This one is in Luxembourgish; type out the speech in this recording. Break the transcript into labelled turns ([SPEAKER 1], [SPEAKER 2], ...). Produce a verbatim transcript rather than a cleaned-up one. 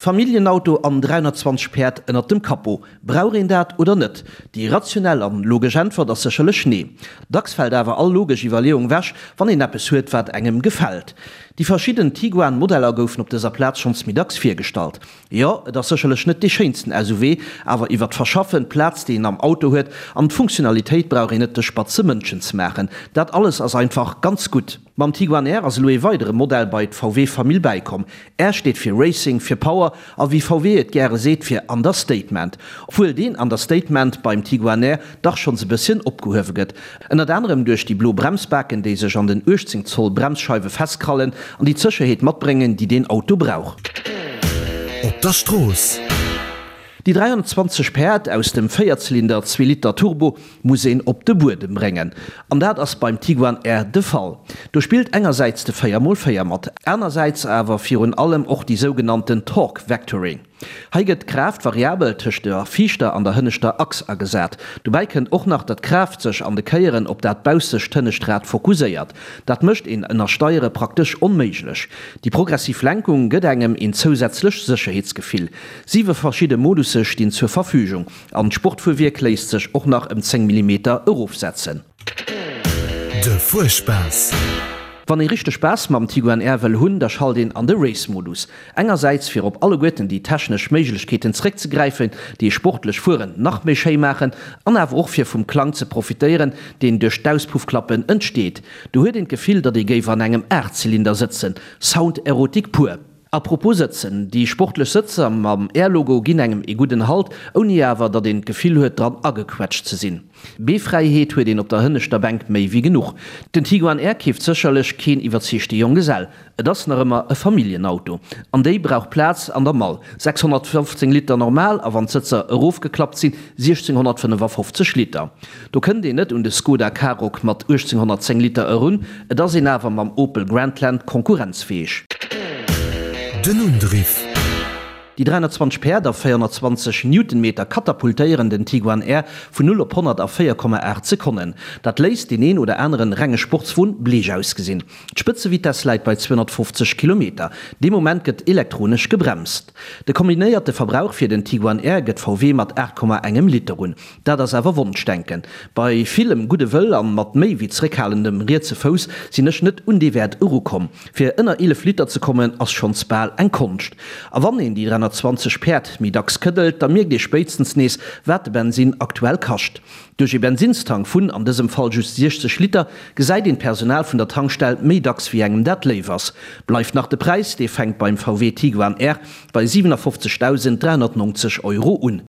[SPEAKER 1] Familljenauto an dräihonnertzwanzeg Päerd ënnert dem Capot, brauch een dat oder net? Déi rationell an logesch Äntwert ass sécherlech nee. Dacks fält awer all logesch Iwwerleeung wech, wann een eppes huet, wat engem gefält. Déi verschidden Tiguan-Modeller goufen op dëser Plaz schonns méi dacks virgestallt. Jo, et ass sécherlech net dee schéinsten S U V, awer iwwer d'Verschaffen, d'Plaz, déi een am Auto huet, an d'Funktionalitéit brauch een net de spatze Mënschen ze maachen. Dat alles ass einfach ganz gutt. Mam Tiguan R ass elo ee weidere Modell bei d'V W-Famill bäikomm. R steet fir Racing, fir Power a wéi V W et gäre seet, fir Understatement. Obwuel deen Understatement beim Tiguan R dach schonns e bësschen opgehuewe gëtt. Ënnert anerem duerch déi blo Bremsbaken, déi sech an den uechtzéng Zoll Bremsscheiwe festkrallen an déi d'Sécherheet matbréngen, déi deen Auto brauch.
[SPEAKER 2] Op der Strooss.
[SPEAKER 1] Déi dräihonnertzwanzeg Päerd aus dem Véierzylinder zwee Liter Turbo muss een op de Buedem bréngen. An dat ass beim Tiguan R de Fall. Do spillt engersäits de véier mol véier mat, anersäits awer virun allem och déi sougenannten Torque Vectoring. Hei gëtt d'Kraaft variabel tëscht der viischter an der hënneschter Achs agesat. Dobäi kënnt och nach, datt d'Kraaft sech an de Kéieren op dat baussescht hënnescht Rad fokusséiert. Dat mécht een Ënnersteiere praktesch onméiglech. Déi progressiv Lenkung gëtt engem een zousätzlecht Sécherheetsgefill. Siwe verschidde Modusse stinn zur Verfügung an d'Sportfuerwierk léisst sech och nach ëm zéng Millimeter erofsetzen.
[SPEAKER 2] De Fuerspaass.
[SPEAKER 1] Wann ee richteg Spaass mam Tiguan R wëll hunn, da schalt een an de Race-Modus. Engersäits fir op alleguerten déi technesch Méiglechkeeten zeréckzegräifen, déi ee sportlech Fueren nach méi schéi maachen, an awer och fir vum Klang ze profitéieren, deen duerch d'Auspuffklappen entsteet. Do huet een d'Gefill, datt ee géif an engem Aachtzylinder sëtzen. Sound-Erotik pur. A propos sëtzen, déi sportlech Sëtzer mam R-Logo ginn engem ee gudden Halt, ouni awer datt een d'Gefill huet dran agequetscht ze sinn. Beefräiheet huet een op der hënneschter Bänk méi wéi genuch. Den Tiguan R keeft sécherlech keen iwwerzeegte Jonggesell. Et ass nach ëmmer e Familljenauto. An déi brauch Plaz an der Mall, sechshonnertfofzéng Liter normal a wann d'Sëtzer erofgeklappt sinn, siechzehnhonnertfënnefafofzeg Liter. Do kënnt een net un de Skoda Karoq mat uechtzénghonnertzéng Liter erun, et ass een awer mam Opel Grandland konkurrenzfäeg.
[SPEAKER 2] Den Undriff.
[SPEAKER 1] Déi dräihonnertzwanzeg Päerd a véierhonnertzwanzeg Newtonmeter katapultéieren den Tiguan R vun null op honnert a véier Komma aacht Sekonnen. Dat léisst deen een oder aneren renge Sportswon bleech ausgesinn. D'Spëtzevitess läit bei zweehonnertfofzeg Kilometer. Dee Moment gëtt elektronesch gebremst. De kombinéierte Verbrauch fir den Tiguan R gëtt V W mat aacht Komma engem Liter un. Dat ass awer Wonschdenken. Bei villem gudde Wëll an mat méi wéi zeréckhalendem rietse Fouss sinn ech net un dee Wäert erukomm. Fir ënner eelef Liter ze kommen ass schonns bal eng Konscht. A wann een déi dräihonnertzwanzeg Päerd méi dacks këddelt, da mierkt ee spéitstens nees, wat de Bensin aktuell kascht. Duerch ee Bensinstank vun, an dësem Fall just siechzeg Liter, gesäit een d'Personal vun der Tankstell méi dacks wéi engem dat léif ass. Bleift nach de Präis, dee fänkt beim V W Tiguan R bei siewenafofzegdausend dräihonnertneunzeg Euro un.